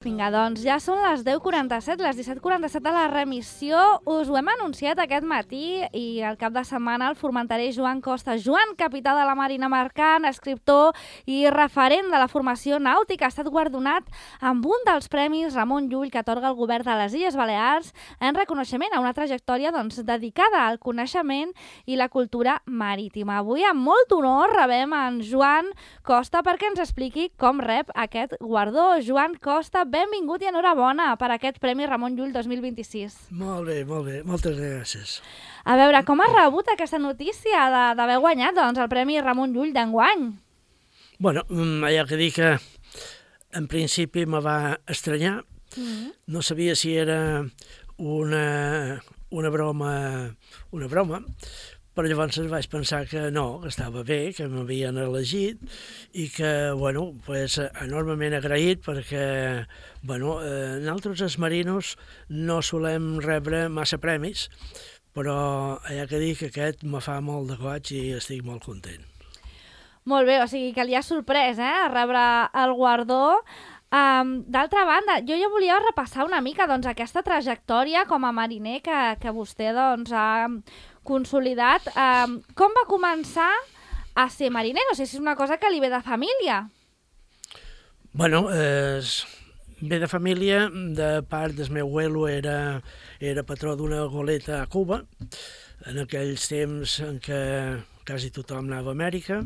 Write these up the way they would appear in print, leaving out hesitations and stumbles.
Vinga, doncs ja són les 10:47, les 17:47 de la remissió. Us ho hem anunciat aquest matí i al cap de setmana el formenterè Joan Costa, Joan, capità de la Marina Mercant, escriptor i referent de la formació nàutica, ha estat guardonat amb un dels premis Ramon Llull que atorga el govern de les Illes Balears en reconeixement a una trajectòria dedicada al coneixement i la cultura marítima. Avui, amb molt honor, rebem en Joan Costa perquè ens expliqui com rep aquest guardó. Joan Costa, benvingut i enhorabona per aquest Premi Ramon Llull 2026. Molt bé, moltes gràcies. A veure, com has rebut aquesta notícia d'haver guanyat el Premi Ramon Llull d'enguany? Bueno, hi ha que dir que en principi me va estranyar. No sabia si era una broma, però llavors vaig pensar que no, que estava bé, que m'havien elegit i que, bueno, pues, enormement agraït perquè, bueno, nosaltres els marinos no solem rebre massa premis, però hi ha que dir que aquest me fa molt de goig i estic molt content. Molt bé, o sigui que li ha sorprès, rebre el guardó. D'altra banda, jo ja volia repassar una mica aquesta trajectòria com a mariner que vostè ha consolidat. Com va començar a ser mariner? No sé si és una cosa que li ve de família. Bueno, ve de família, de part del meu abuelo era patró d'una goleta a Cuba, en aquells temps en què quasi tothom anava a Amèrica.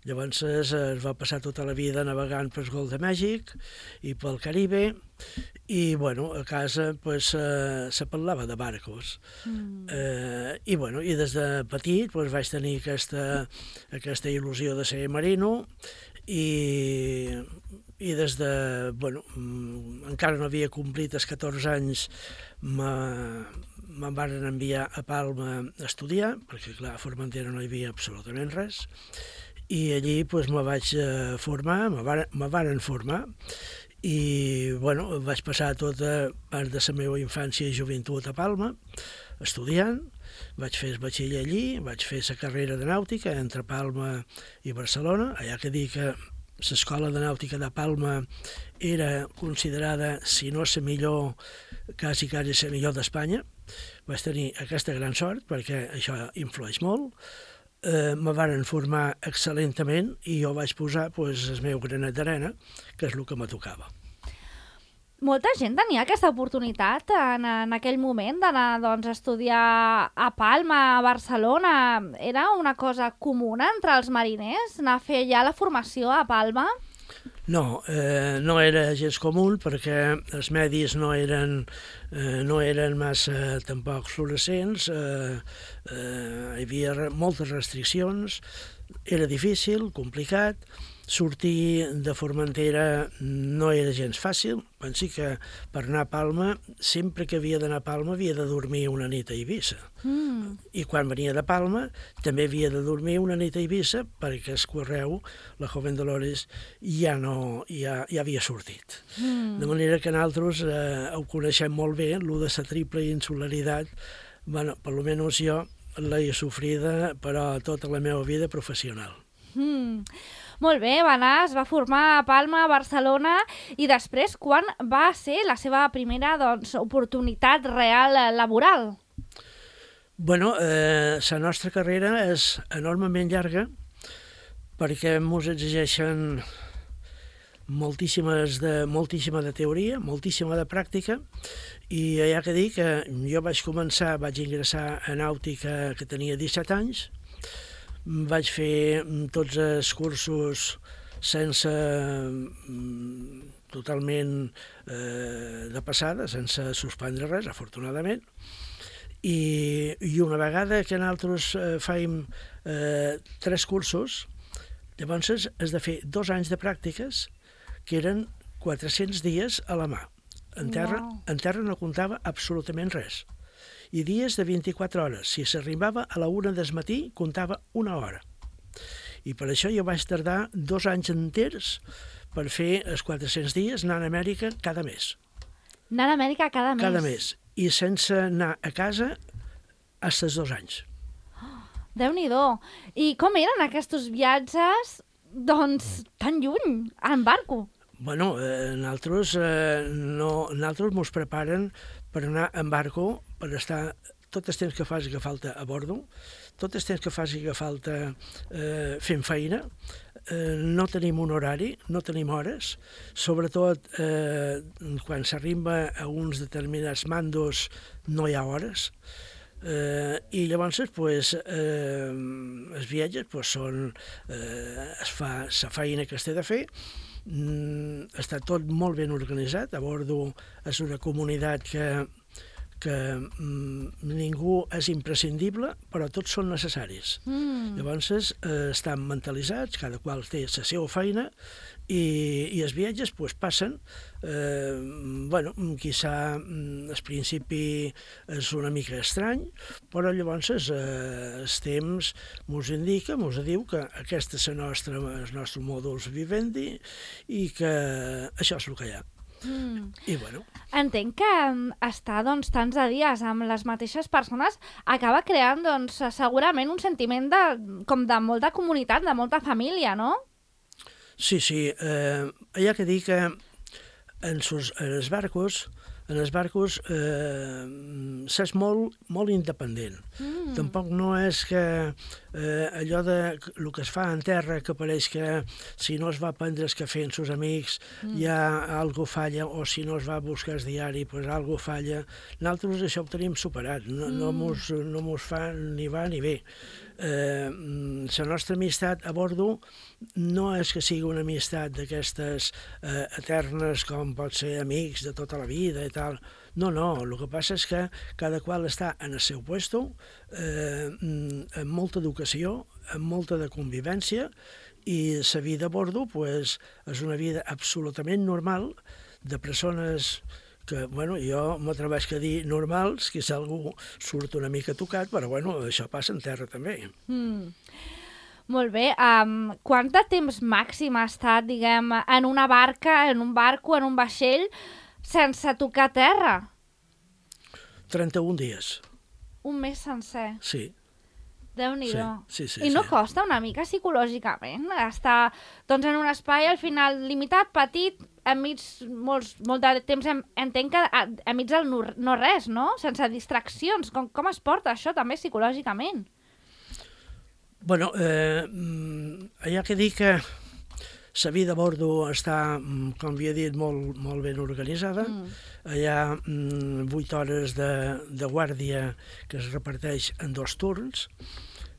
Llavors es va passar tota la vida navegant pel Golf de Mèxic i pel Caribe i, bueno, a casa pues, se parlava de barcos. I, bueno, i des de petit pues, vaig tenir aquesta il·lusió de ser marino i des de, bueno, encara no havia complit els 14 anys, me'n van enviar a Palma a estudiar, perquè, clar, a Formentera no hi havia absolutament res, i allí pues, me vaig formar, me varen formar i bueno, vaig passar tota part de la meva infància i joventut a Palma estudiant, vaig fer el batxiller allí, vaig fer la carrera de nàutica entre Palma i Barcelona. Hi ha que dir que l'escola de nàutica de Palma era considerada, si no la millor, quasi la millor d'Espanya. Vaig tenir aquesta gran sort perquè això influeix molt. Me varen formar excel·lentament i jo vaig posar el meu granet d'arena, que és el que me tocava. Molta gent tenia aquesta oportunitat en aquell moment d'anar a estudiar a Palma, a Barcelona. Era una cosa comuna entre els mariners, anar a fer ja la formació a Palma? No, no era gens comú perquè els medis no eren massa tampoc fluorescents, hi havia moltes restriccions, era difícil, complicat, sortir de Formentera no era gens fàcil. Pensi que per anar a Palma, sempre que havia d'anar a Palma havia de dormir una nit a Eivissa. I quan venia de Palma també havia de dormir una nit a Eivissa perquè el correu, la Joven Dolores, ja havia sortit. De manera que nosaltres ho coneixem molt bé, el de la triple insularitat, bueno, per almenys jo l'he sofrida, però tota la meva vida professional. Molt bé, va anar, es va formar a Palma, a Barcelona, i després, quan va ser la seva primera oportunitat real laboral? Bueno, la nostra carrera és enormement llarga perquè ens exigeixen moltíssima de teoria, moltíssima de pràctica, i hi ha que dir que jo vaig ingressar a nàutica que tenia 17 anys, vaig fer tots els cursos totalment de passada, sense suspendre res, afortunadament, i una vegada que nosaltres fèiem 3 cursos, llavors has de fer 2 anys de pràctiques que eren 400 dies a la mà. En terra no comptava absolutament res. I dies de 24 hores. Si s'arribava a la 1 del matí, comptava 1 hora. I per això jo vaig tardar 2 anys enters per fer els 400 dies anant a Amèrica cada mes. Anant a Amèrica cada mes? Cada mes. I sense anar a casa fins als 2 anys. Déu-n'hi-do. I com eren aquests viatges, tan lluny, en barco? Bueno, nosaltres mos preparen per anar en barco, per estar tot el temps que faci que falta a bordo, tot el temps que faci que falta fent feina. No tenim un horari, no tenim hores, sobretot quan s'arriba a uns determinats mandos no hi ha hores, i llavors pues, els viatges pues, són, es fa la feina que es té de fer. Està tot molt ben organitzat. A bordo és una comunitat que ningú és imprescindible, però tots són necessaris. Llavors estan mentalitzats, cada qual té la seva feina, i els viatges pues, passen. Quizà al principi és una mica estrany, però llavors el temps mos indica, mos diu que aquest és el nostre modus vivendi i que això és el que hi ha. I bueno. Entenc que estar tants de dies amb les mateixes persones acaba creant segurament un sentiment com de molta comunitat, de molta família, no? Sí, hi ha que dir que en els barcos s'és molt independent. Tampoc no és que allò de el que es fa en terra, que pareix que si no es va prendre el cafè amb els amics ja algo falla, o si no es va buscar el diari, pues algo falla. Nosaltres això ho tenim superat, no mos fa ni va ni ve. La nostra amistat a bordo no és que sigui una amistat d'aquestes eternes com pot ser amics de tota la vida i tal. No, el que passa és que cada qual està en el seu puesto, amb molta educació, amb molta de convivència, i la vida a bordo pues, és una vida absolutament normal de persones que, jo m'atreveix a dir normals, que si algú surt una mica tocat, però això passa en terra també. Molt bé. Quant de temps màxim ha estat, diguem, en una barca, en un barco, en un vaixell, sense tocar terra? 31 dies. Un mes sencer? Sí. Déu-n'hi-do. Sí. I no costa una mica psicològicament estar en un espai al final limitat, petit, enmig molt de temps, entenc que enmig del no res, no? Sense distraccions. Com es porta això també psicològicament? Bueno, hi ha que dir que la vida a bordo està, com havia dit, molt ben organitzada. Hi ha 8 hores de guàrdia que es reparteix en 2 turns.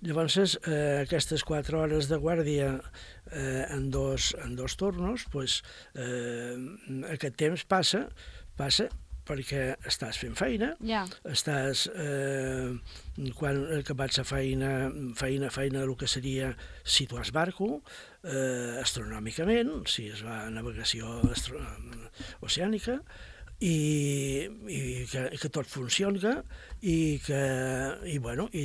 Llavors, aquestes 4 hores de guàrdia en dos tornos, pues, aquest temps passa perquè estàs fent feina, estàs, quan acabats la feina del que seria si tu has barco, astronòmicament, si es va a navegació oceànica, i que tot funciona i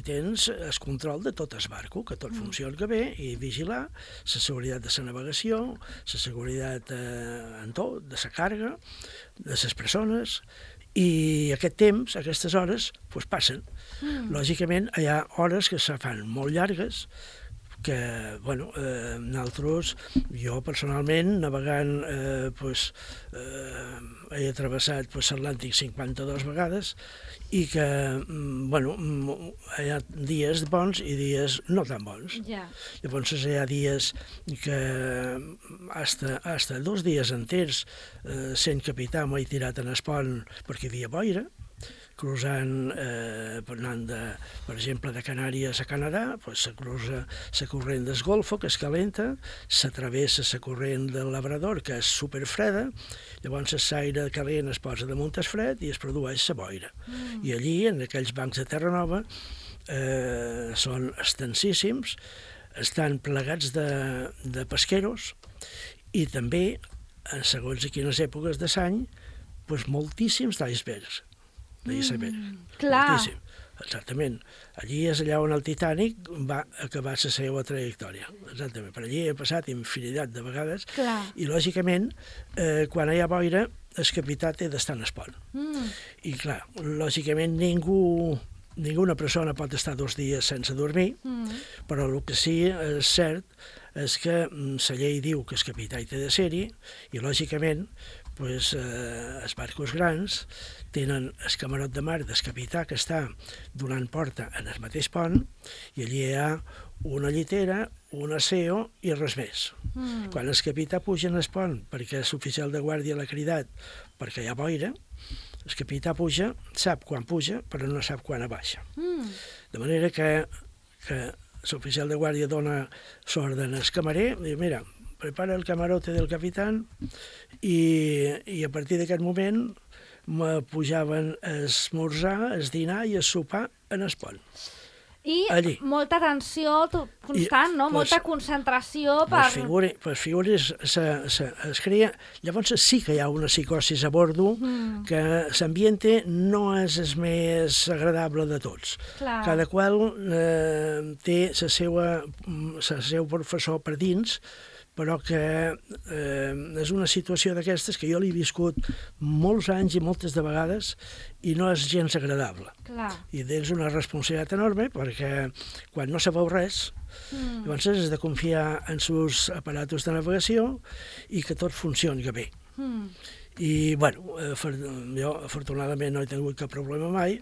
tens el control de tot el barco, que tot funciona bé, i vigilar la seguretat de la navegació, la seguretat en tot, de la carga, de les persones, i aquest temps, aquestes hores, pues, passen. Lògicament, hi ha hores que se fan molt llargues, que, nosaltres, jo personalment, navegant, he travessat l'Atlàntic 52 vegades, i que, hi ha dies bons i dies no tan bons. Llavors hi ha dies que hasta 2 dies enters, sent capità, m'he tirat en el pont perquè hi havia boira, cruzant, anant, per exemple, de Canàries a Canadà, se cruza la corrent del Golfo, que es calenta, s'atravessa la corrent del Labrador, que és superfreda, llavors l'aire calent es posa damunt el fred i es produeix la boira. I allí, en aquells bancs de terra nova, són extensíssims, estan plegats de pesqueros, i també, en segons a quines èpoques de l'any, moltíssims d'icebergs. Moltíssim. Exactament. Allí és allà on el Titanic va acabar la seva trajectòria. Exactament. Per allí he passat infinitat de vegades. I, lògicament, quan hi ha boira, el capità té d'estar en el pont. I, clar, lògicament, ninguna persona pot estar 2 dies sense dormir, però el que sí és cert és que la llei diu que el capità hi té de ser-hi i, lògicament, els barcos grans tenen el camarot de mar del capità que està donant porta en el mateix pont i allí hi ha una llitera, un aseo i res més. Quan el capità puja en el pont perquè l'oficial de guàrdia l'ha cridat perquè hi ha boira, el capità puja, sap quan puja, però no sap quan baixa. De manera que l'oficial de guàrdia dona l'ordre al camarer, diu, mira, prepara el camarote del capitán i a partir d'aquest moment me pujaven a esmorzar, a dinar i a sopar en el pont. I allí. Molta tensió constant, no? Molta concentració per... Figures es crea... Llavors sí que hi ha una psicosis a bordo que l'ambiente no és el més agradable de tots. Clar. Cada qual té el seu professor per dins, però que és una situació d'aquestes que jo l'he viscut molts anys i moltes de vegades i no és gens agradable. Clar. I tens una responsabilitat enorme perquè quan no sabeu res, llavors has de confiar en els aparatos de navegació i que tot funcioni bé. I, bueno, jo afortunadament no he tingut cap problema mai,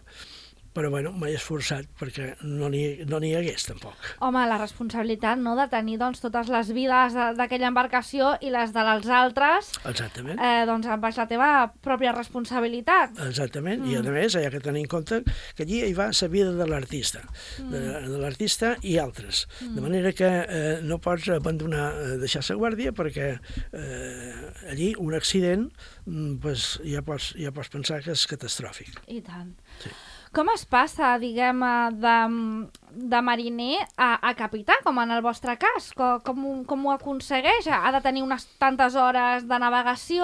però bueno, m'he esforçat perquè no n'hi hagués tampoc. Home, la responsabilitat, no?, de tenir doncs, totes les vides d'aquella embarcació i les dels altres, exactament, doncs baix la teva pròpia responsabilitat. Exactament, i a més hi ha que tenir en compte que allí hi va la vida de l'artista, de l'artista i altres, de manera que no pots abandonar, deixar la guàrdia perquè allí un accident ja pots pensar que és catastròfic. I tant. Sí. Com es passa, diguem, de mariner a capità, com en el vostre cas? Com ho aconsegueix? Ha de tenir unes tantes hores de navegació?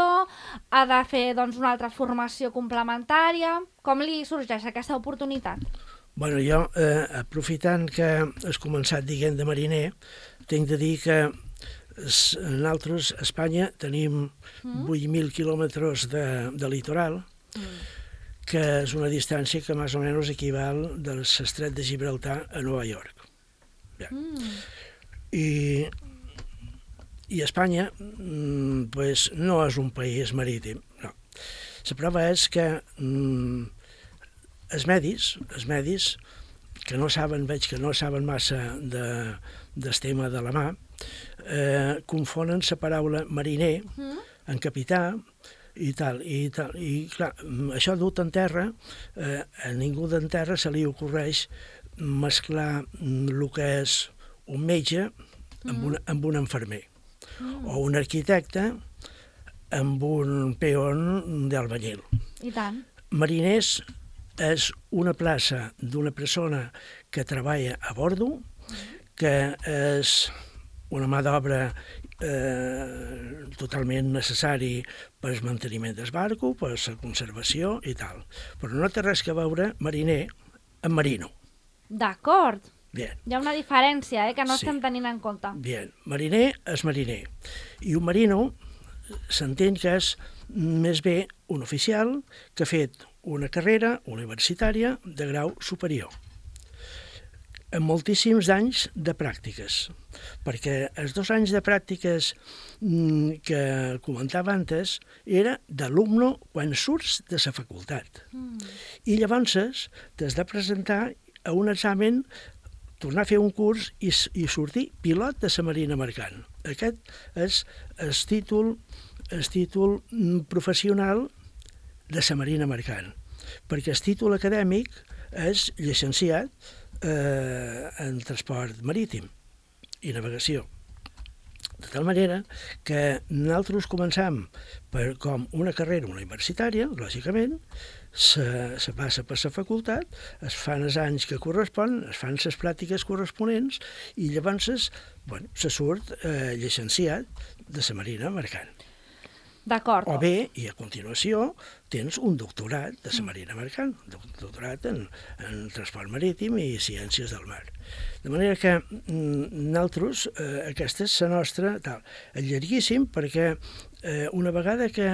Ha de fer doncs, una altra formació complementària? Com li sorgeix aquesta oportunitat? Bueno, jo, aprofitant que has començat dient de mariner, tinc de dir que nosaltres, a Espanya, tenim 8.000 quilòmetres de litoral, que és una distància que més o menys equival del Estret de Gibraltar a Nova York. I Espanya no és un país marítim, no. La prova és que els medis, que no saben, veig que no saben massa del tema de la mà, confonen la paraula mariner en capità, i clar, això dut en terra, a ningú d'en terra se li ocorreix mesclar el que és un metge amb un infermer, o un arquitecte amb un peón d'albañil. I tant. Mariners és una plaça d'una persona que treballa a bordo, que és una mà d'obra totalment necessari per al manteniment del barco, per la conservació i tal. Però no té res a veure mariner amb marino. D'acord. Bien. Hi ha una diferència, que no estem tenint en compte. Bien. Mariner és mariner. I un marino s'entén que és més bé un oficial que ha fet una carrera universitària de grau superior, amb moltíssims anys de pràctiques, perquè els 2 anys de pràctiques que comentava antes era d'alumne quan surts de la facultat. I llavors t'has de presentar a un examen, tornar a fer un curs i sortir pilot de la marina mercant. Aquest és el títol professional de la marina mercant, perquè el títol acadèmic és llicenciat en transport marítim i navegació. De tal manera que nosaltres començam com una carrera universitària, lògicament, se passa per la facultat, es fan els anys que correspon, es fan les pràctiques corresponents i llavors se surt llicenciat de la marina mercant. D'acord. O bé, i a continuació, tens un doctorat de la marina mercant, doctorat en transport marítim i ciències del mar. De manera que nosaltres, aquesta és la nostra, és llarguíssim perquè una vegada que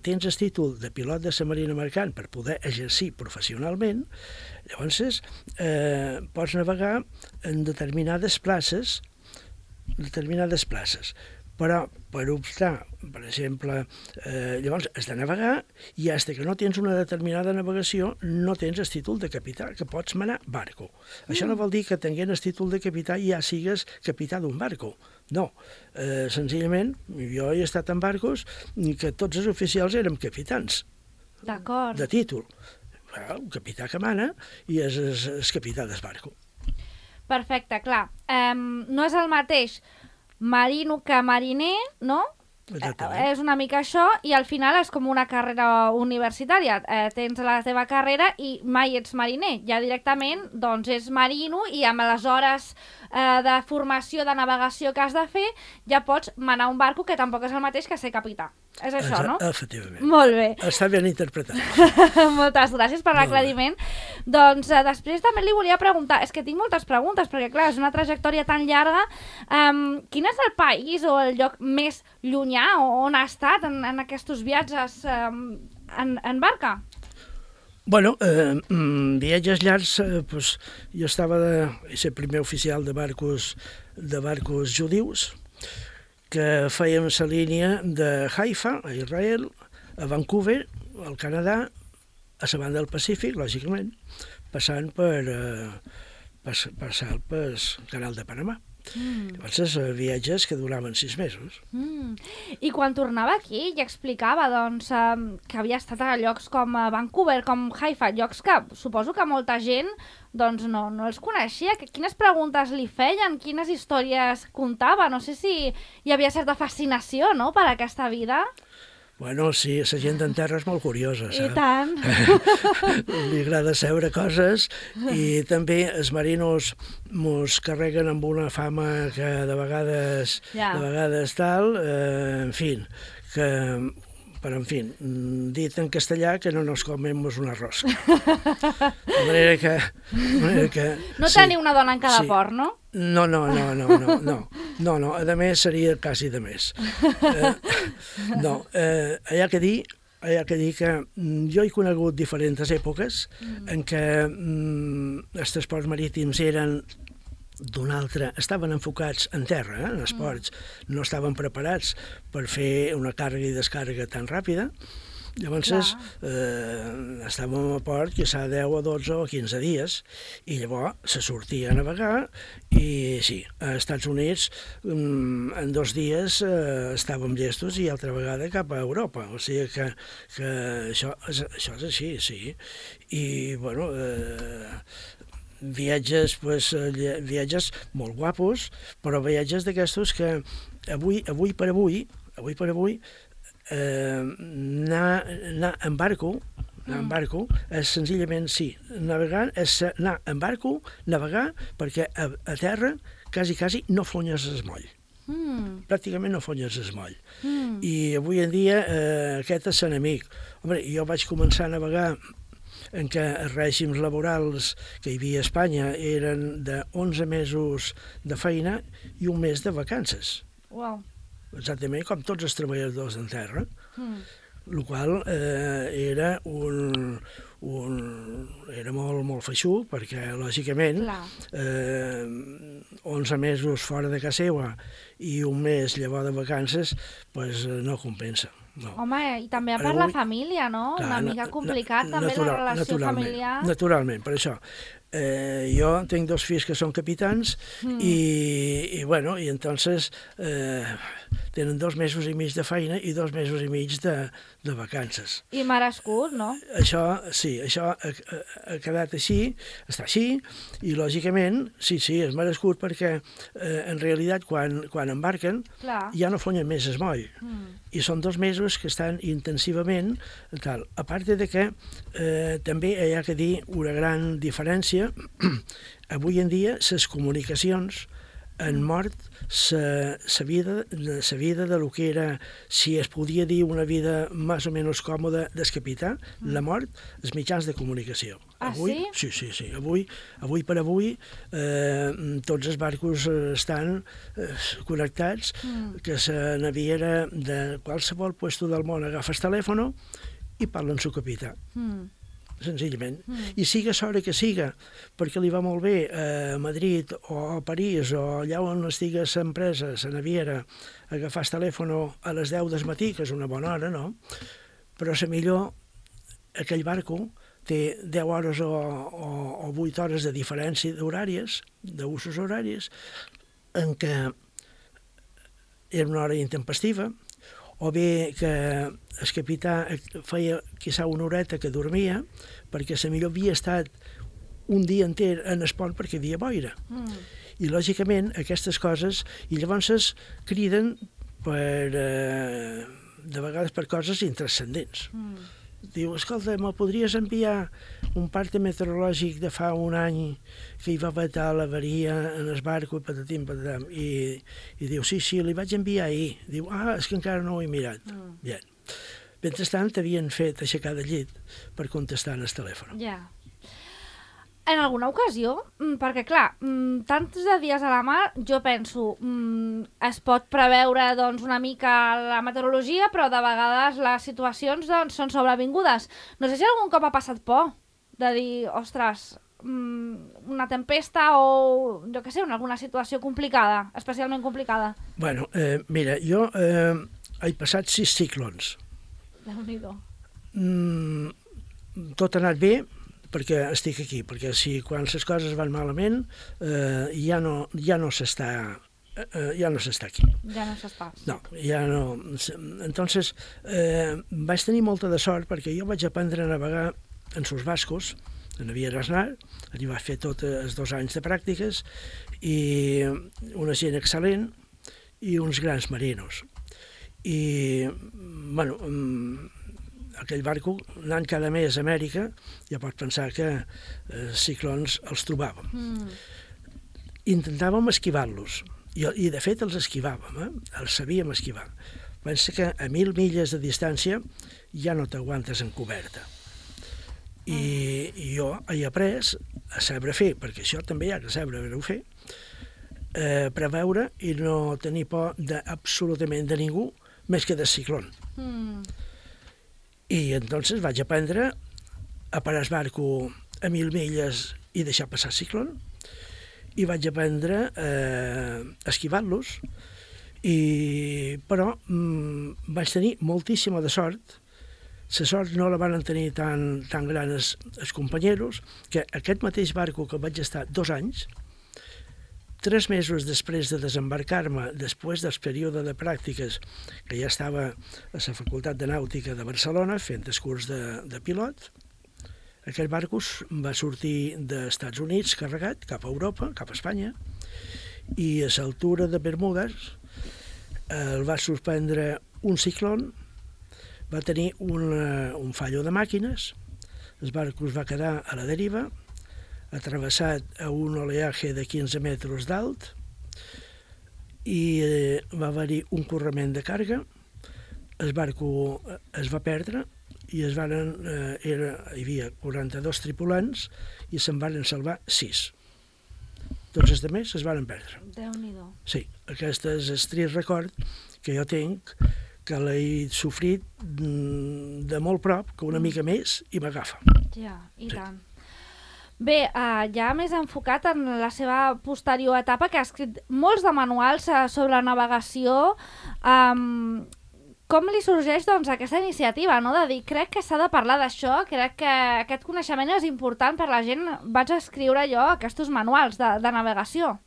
tens el títol de pilot de la marina mercant per poder exercir professionalment, llavors pots navegar en determinades places determinades places. Però, per optar, per exemple, llavors has de navegar i fins que no tens una determinada navegació no tens el títol de capità, que pots manar barco. Això no vol dir que tenint el títol de capità ja sigues capità d'un barco. No, senzillament, jo he estat en barcos que tots els oficials érem capitans. D'acord. De títol. Un capità que mana i és el capità del barco. Perfecte, clar. No és el mateix marino que mariner, no? Exactament. És una mica això, i al final és com una carrera universitària. Tens la teva carrera i mai ets mariner. Ja directament doncs és marino i amb les hores de formació, de navegació que has de fer, ja pots manar un barco, que tampoc és el mateix que ser capità. És això, no? Efectivament. Molt bé. Està ben interpretat. Moltes gràcies per l'aclariment. Doncs després també li volia preguntar, és que tinc moltes preguntes, perquè clar, és una trajectòria tan llarga. Quin és el país o el lloc més llunyà on ha estat en aquests viatges en barca? Bueno, viatges llargs, jo estava de ser primer oficial de barcos judius, que fèiem la línia de Haifa, a Israel, a Vancouver, al Canadà, a la banda del Pacífic, lògicament, passant pel canal de Panamà. Llavors, viatges que duraven 6 mesos. I quan tornava aquí ja explicava doncs, que havia estat a llocs com Vancouver, com Haifa, llocs que suposo que molta gent doncs, no els coneixia. Quines preguntes li feien, quines històries contava? No sé si hi havia certa fascinació, no?, per aquesta vida. Bueno, sí, la gent en terra és molt curiosa, saps? I tant. Li agrada saber coses i també els marinos mos carreguen amb una fama que de vegades tal, en fi, però, en fi, dit en castellà que no nos comemos una rosca. De manera que no teniu una dona en cada port, no? No, a més seria quasi de més. No, hi ha que dir que jo he conegut diferents èpoques en què els transports marítims eren d'un altre, estaven enfocats en terra, en els ports, no estaven preparats per fer una càrrega i descàrrega tan ràpida. Llavors estàvem a port que s'ha 10 o 12 o 15 dies i llavors se sortia a navegar i sí, als Estats Units en 2 dies estàvem llestos i altra vegada cap a Europa, o sigui que això és així, sí. I bueno, viatges molt guapos, però viatges d'aquestos que avui per avui anar en barco és senzillament, sí, navegar és anar en barco, navegar, perquè a terra quasi no fonyes el moll. Pràcticament no fonyes el moll. I avui en dia aquest és l'enemic. Home, jo vaig començar a navegar en què els règims laborals que hi havia a Espanya eren de 11 mesos de feina i un mes de vacances. Uau. Exactament com tots els treballadors en terra, el qual era era molt feixuc, perquè, lògicament, 11 mesos fora de casa seva i un mes llavors de vacances, doncs no compensa. No. Home, i també per la família, no? Una mica complicat, també, la relació familiar. Naturalment, per això. Jo tinc 2 fills que són capitans i entonces tenen 2 mesos i mig de feina i 2 mesos i mig de vacances. I merescut, no? Això ha quedat així, està així, i lògicament, sí, és merescut perquè en realitat quan embarquen ja no fonyen més es moll. I són 2 mesos que estan intensivament tal. A part de que també hi ha que dir una gran diferència. Avui en dia les comunicacions han mort la vida de lo que era, si es podia dir una vida més o menys còmoda del capità, la mort, els mitjans de comunicació. Avui, sí? Sí. Avui per avui tots els barcos estan connectats, que la naviera de qualsevol lloc del món agafa el telèfon i parla amb el capità. senzillament. I siga l'hora que siga, perquè li va molt bé a Madrid o a París o allà on estigui l'empresa, la naviera, agafar el telèfon a les 10 del matí, que és una bona hora, no? Però millor aquell barco té 10 hores o 8 hores de diferència d'horàries, d'usos horaris, en què era una hora intempestiva, o bé que el capità feia quizà una horeta que dormia, perquè millor havia estat un dia enter en el pont perquè hi havia boira. I, lògicament, aquestes coses, i llavors criden de vegades per coses intranscendents. Diu, escolta, me podries enviar un parte meteorològic de fa un any que hi va vetar l'avaria en el barco i patatim, patatam. I diu, sí, li vaig enviar ahir. Diu, és que encara no ho he mirat. Bien. Mentrestant, t'havien fet aixecar del llit per contestar en el telèfon. Ja. En alguna ocasió, perquè clar, tants de dies a la mar, jo penso, es pot preveure doncs, una mica la meteorologia, però de vegades les situacions doncs, són sobrevingudes. No sé si algun cop ha passat por de dir, ostres, una tempesta o, jo què sé, alguna situació complicada, especialment complicada. Bueno, mira, jo he passat 6 ciclons. Déu-n'hi-do. Tot ha anat bé, perquè estic aquí, perquè si quan les coses van malament ja no s'està aquí. Ja no s'està. No, ja no. Entonces, vaig tenir molta de sort perquè jo vaig aprendre a navegar en sus bascos, en Naviera Aznar, allí vaig fer tots els 2 anys de pràctiques, i una gent excel·lent i uns grans marinos. I, bueno, aquell barco, anant cada mes a Amèrica, ja pots pensar que ciclons els trobàvem. Intentàvem esquivar-los, i de fet els esquivàvem, els sabíem esquivar. Pensa que a 1.000 milles de distància ja no t'aguantes en coberta. I jo he après a saber fer, perquè això també hi ha que saber fer, preveure i no tenir por absolutament de ningú més que del ciclón. I entonces vaig aprendre a parar el barco a 1.000 milles i deixar passar el ciclón, i vaig aprendre a esquivar-los, però vaig tenir moltíssima de sort. La sort no la van tenir tan gran els companyeros, que aquest mateix barco que vaig estar 2 anys, 3 mesos després de desembarcar-me, després del període de pràctiques, que ja estava a la Facultat de Nàutica de Barcelona fent el curs de pilot, aquell barco va sortir dels Estats Units carregat cap a Europa, cap a Espanya, i a l'altura de Bermudes el va sorprendre un ciclón, va tenir un fallo de màquines, el barco es va quedar a la deriva, atravessat a un oleatge de 15 metres d'alt, i va haver-hi un correment de càrrega, el barco es va perdre i hi havia 42 tripulants i se'n van salvar 6. Tots els altres es van perdre. Déu-n'hi-do. Sí, aquest és el trist record que jo tinc, que l'he sofrit de molt prop, que una mica més, i m'agafa. Ja, i tant. Bé, ja més enfocat en la seva posterior etapa, que ha escrit molts de manuals sobre navegació, com li sorgeix doncs, aquesta iniciativa, no? De dir, crec que s'ha de parlar d'això, crec que aquest coneixement és important per la gent, vaig escriure jo aquests manuals de navegació.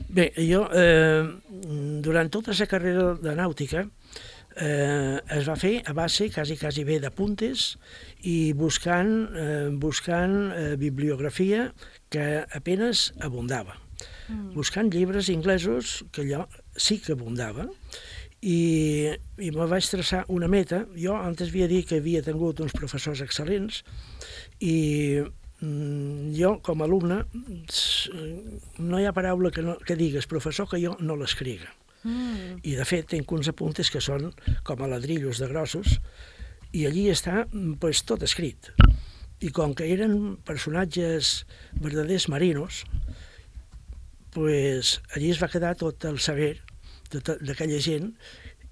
Bé, jo, durant tota la carrera de nàutica, es va fer a base quasi bé d'apuntes i buscant bibliografia que apenas abundava. Buscant llibres inglesos, que allò sí que abundava, i me vaig traçar una meta. Jo antes havia dit que havia tingut uns professors excel·lents i jo, com a alumne, no hi ha paraula que digues professor que jo no l'escriga. I de fet tinc uns apuntes que són com a ladrillos de grossos i allí està tot escrit. I com que eren personatges verdaders marinos, allí es va quedar tot el saber d'aquella gent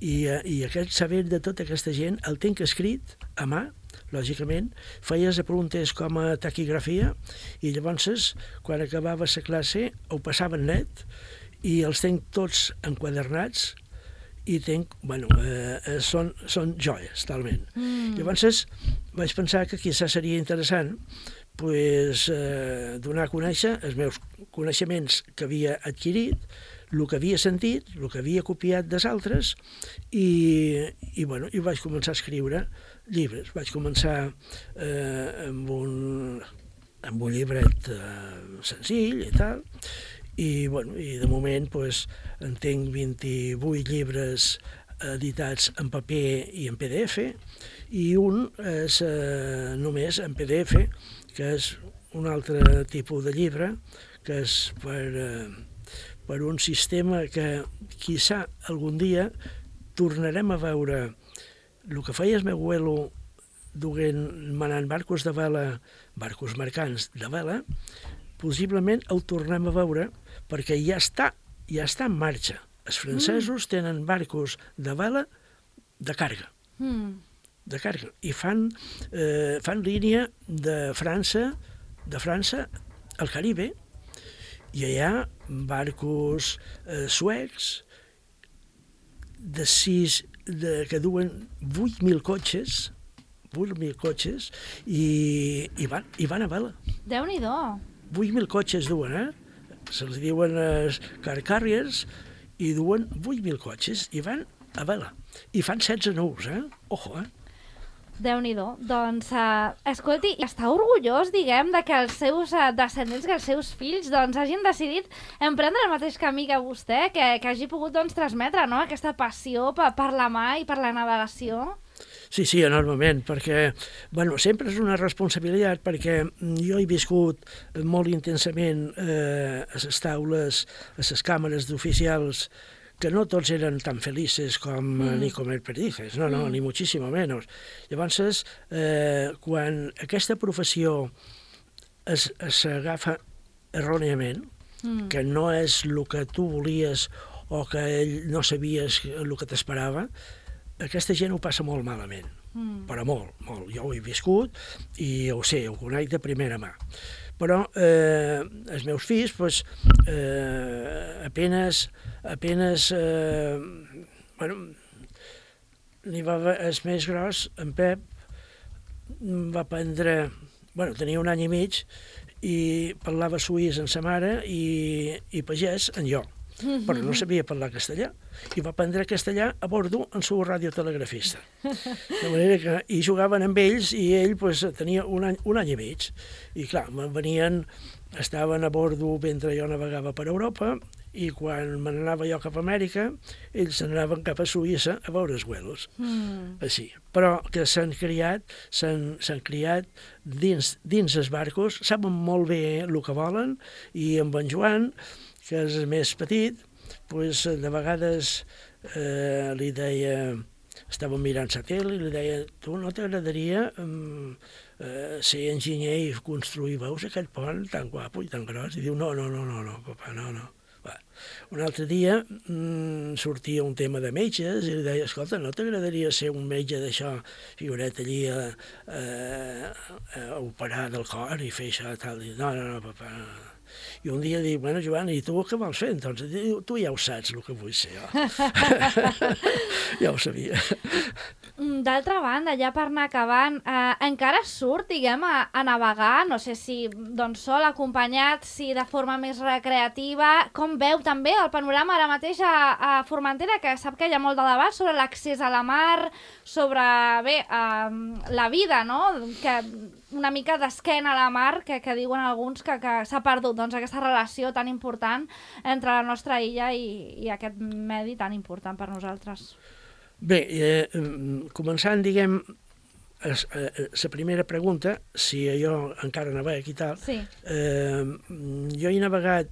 I aquest saber de tota aquesta gent el tinc escrit a mà, lògicament, feies preguntes com a taquigrafia i llavors, quan acabava la classe, ho passaven net i els tenc tots enquadernats i tenc, són joies, talment. Llavors vaig pensar que quizás seria interessant donar a conèixer els meus coneixements que havia adquirit, el que havia sentit, el que havia copiat dels altres i vaig començar a escriure llibres. Vaig començar amb un llibret senzill i tal, i de moment en tinc 28 llibres editats en paper i en PDF, i un és només en PDF, que és un altre tipus de llibre, que és per un sistema que quizá algun dia tornarem a veure el que feia el meu abuelo manant barcos de vela, barcos mercants de vela, possiblement ho tornem a veure perquè ja està en marxa. Els francesos tenen barcos de vela de càrrega. De càrrega. I fan línia de França al Caribe, i allà barcos suecs que duen 8.000 cotxes i van a vela. Déu-n'hi-do. 8.000 cotxes duen, se'ls diuen car carriers, i duen 8.000 cotxes i van a vela. I fan 16 nous, Ojo, Déu-n'hi-do. Doncs, escolti, està orgullós, diguem, de que els seus descendents, que els seus fills, doncs, hagin decidit emprendre el mateix camí que vostè, que hagi pogut, doncs, transmetre, no?, aquesta passió per la mar i per la navegació. Sí, enormement, perquè, sempre és una responsabilitat, perquè jo he viscut molt intensament a les taules, a les càmeres d'oficials, que no tots eren tan felices com ni comer perdices, no, ni muchísimo menos. Llavors, quan aquesta professió s'agafa erròniament, que no és el que tu volies o que no sabies el que t'esperava, aquesta gent ho passa molt malament, però molt. Jo ho he viscut i ho sé, ho conec de primera mà. Però els meus fills, apenes el més gros, en Pep, va aprendre, tenia 1 any i mig, i parlava suís amb sa mare i pagès amb jo, però no sabia parlar castellà, i va aprendre castellà a bordo amb el radiotelegrafista. De manera que hi jugaven amb ells i ell tenia un any i mig. I clar, estaven a bordo mentre jo navegava per Europa, i quan me n'anava jo cap a Amèrica, ells anaven cap a Suïssa a veure els vuelos. Així. Però que s'han criat dins els barcos, saben molt bé el que volen, i amb en Joan, que és el més petit, de vegades li deia, estàvem mirant satèl·lit, li deia, tu no t'agradaria ser enginyer i construir, veus aquest pont tan guapo i tan gros? I diu, no, papa, no. Un altre dia sortia un tema de metges i li deia, escolta, no t'agradaria ser un metge d'això, figuret allí a operar del cor i fer això tal? I no, papa, no. I un dia dic, Joan, i tu què vols fer? Entonces, tu ja ho saps, el que vull ser jo. Ja ho sabia. D'altra banda, ja per anar acabant, encara surt, diguem, a navegar, no sé si sol, acompanyat, si de forma més recreativa. Com veu també el panorama ara mateix a Formentera, que sap que hi ha molt de debat sobre l'accés a la mar, sobre, la vida, no?, que una mica d'esquena a la mar, que diuen alguns que s'ha perdut aquesta relació tan important entre la nostra illa i aquest medi tan important per nosaltres. Bé, començant, diguem, la primera pregunta, si jo encara navego i tal, sí. Jo he navegat,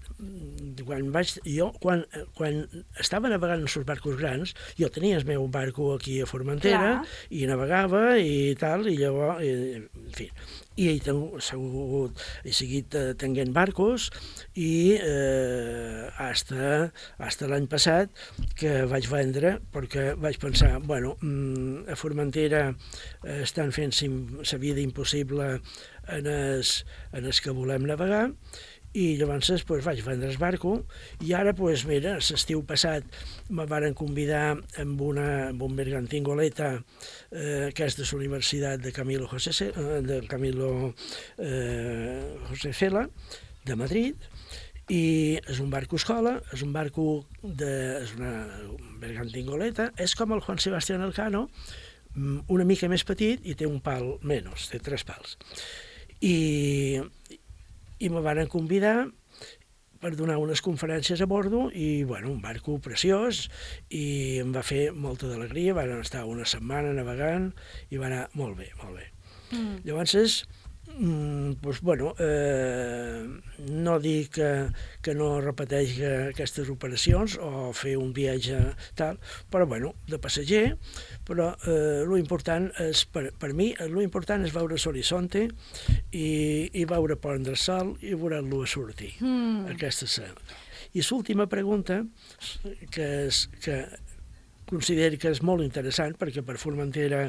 quan estava navegant en els barcos grans, jo tenia el meu barco aquí a Formentera, i navegava i tal, i llavors, en fi, i he seguit tenint barcos i hasta l'any passat que vaig vendre perquè vaig pensar, a Formentera estan fent la vida impossible en els que volem navegar, i llavors vaig vendre el barco i ara, mira, l'estiu passat me varen convidar amb un bergantín goleta que és de la Universitat de Camilo José Cela de Madrid, i és un barco escola, és un bergantín goleta, és com el Juan Sebastián Elcano, una mica més petit i té un pal menys, té 3 pals. I me van convidar per donar unes conferències a bordo i, un barco preciós, i em va fer molta d'alegria. Van estar una setmana navegant i va anar molt bé, molt bé. Llavors, no dic que no repeteix aquestes operacions o fer un viatge tal, però de passager, però l'important és, per mi, l'important és veure l'horizonte i veure prendre el sol i veure-lo sortir. Aquesta és I l'última pregunta, que considero que és molt interessant, perquè per Formentera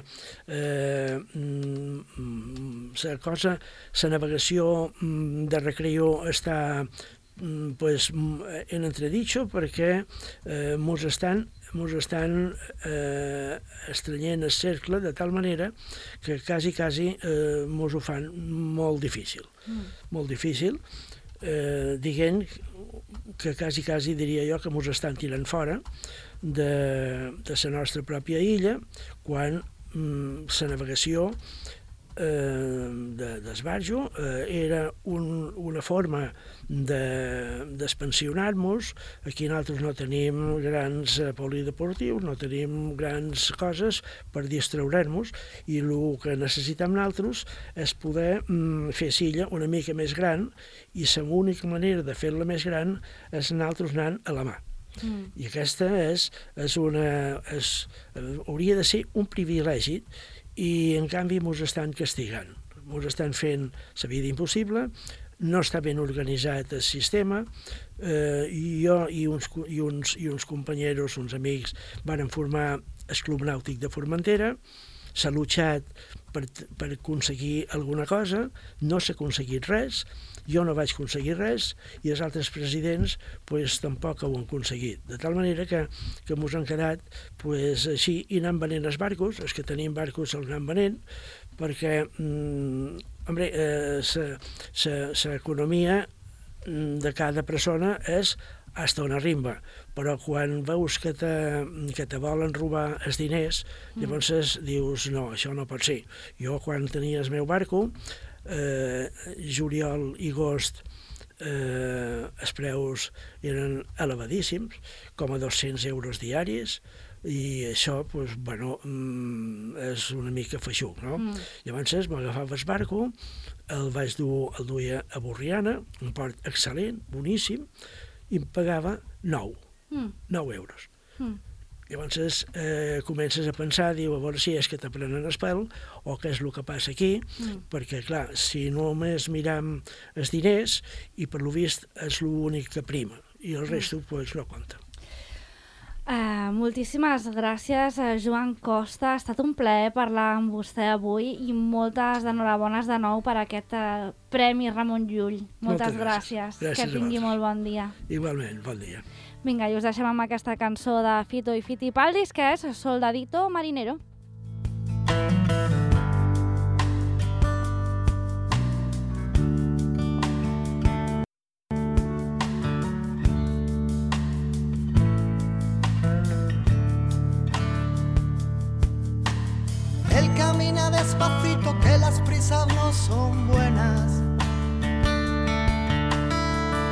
la navegació de recreo està en entredicho, perquè mos estan estrenyent el cercle de tal manera que quasi mos ho fan molt difícil. Molt difícil, dient que quasi diria jo que mos estan tirant fora de la nostra pròpia illa, quan la navegació d'esbarjo era una forma d'expansionar-nos. Aquí nosaltres no tenim grans polideportius, no tenim grans coses per distraure'ns, i el que necessitem nosaltres és poder fer l'illa una mica més gran, i l'única manera de fer-la més gran és nosaltres anant a la mà. I aquesta hauria de ser un privilegi, i en canvi mos estan castigant, mos estan fent la vida impossible, no està ben organitzat el sistema. Jo i uns companys, uns amics, varen formar el Club Nàutic de Formentera. S'ha luchat per aconseguir alguna cosa, no s'ha aconseguit res, jo no vaig aconseguir res, i els altres presidents tampoc ho han aconseguit. De tal manera que mos han quedat així, i anant venent els barcos, els que tenim barcos els anem venent, perquè l'economia de cada persona és hasta on arriba, però quan veus que te volen robar els diners, llavors dius, no, això no pot ser. Jo, quan tenia el meu barco, juliol i agost, els preus eren elevadíssims, com a 200 euros diaris, i això, és una mica feixuc, no? Llavors m'agafava el barco, el duia a Borriana, un port excel·lent, boníssim, i em pagava 9 euros. Llavors comences a pensar, diu, a veure si és que t'aprenen el pèl o què és el que passa aquí, perquè, clar, si només miram els diners, i per lo vist és l'únic que prima, i el resto no compta. Moltíssimes gràcies, Joan Costa. Ha estat un plaer parlar amb vostè avui, i moltes enhorabones de nou per aquest Premi Ramon Llull. Moltes gràcies. Que tingui molt bon dia. Igualment, bon dia. Vinga, i us deixem amb aquesta cançó de Fito i Fitipaldis, que és Soldadito Marinero. Despacito, que las prisas no son buenas.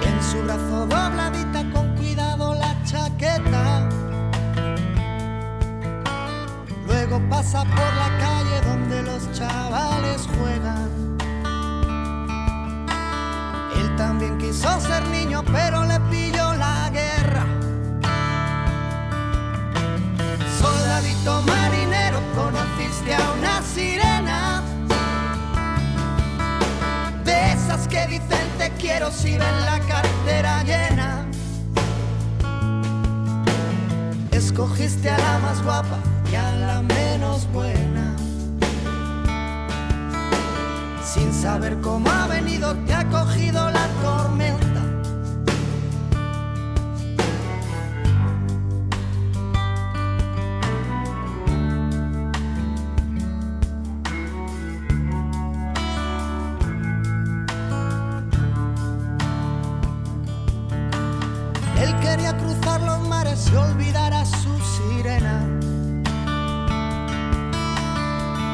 En su brazo dobladita, con cuidado la chaqueta. Luego pasa por la calle donde los chavales juegan. Él también quiso ser niño, pero le pilló la guerra. Soldadito marinero, conociste a una sirena. quiero si ven la cartera llena. Escogiste a la más guapa y a la menos buena. Sin saber cómo ha venido, te ha cogido la tormenta. Él quería cruzar los mares y olvidar a su sirena.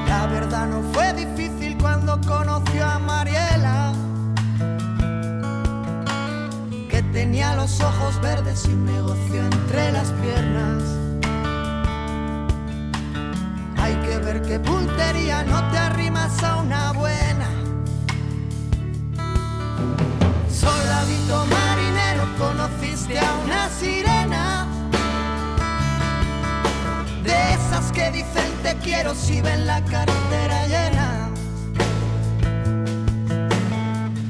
La verdad no fue difícil cuando conoció a Mariela, que tenía los ojos verdes y un negocio entre las piernas. Hay que ver qué puntería, no te arrimas a una buena. Soldadito marinero, conociste a una sirena, de esas que dicen te quiero si ven la cartera llena.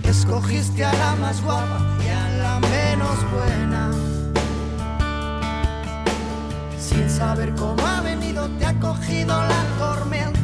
Escogiste a la más guapa y a la menos buena. Sin saber cómo ha venido, te ha cogido la tormenta.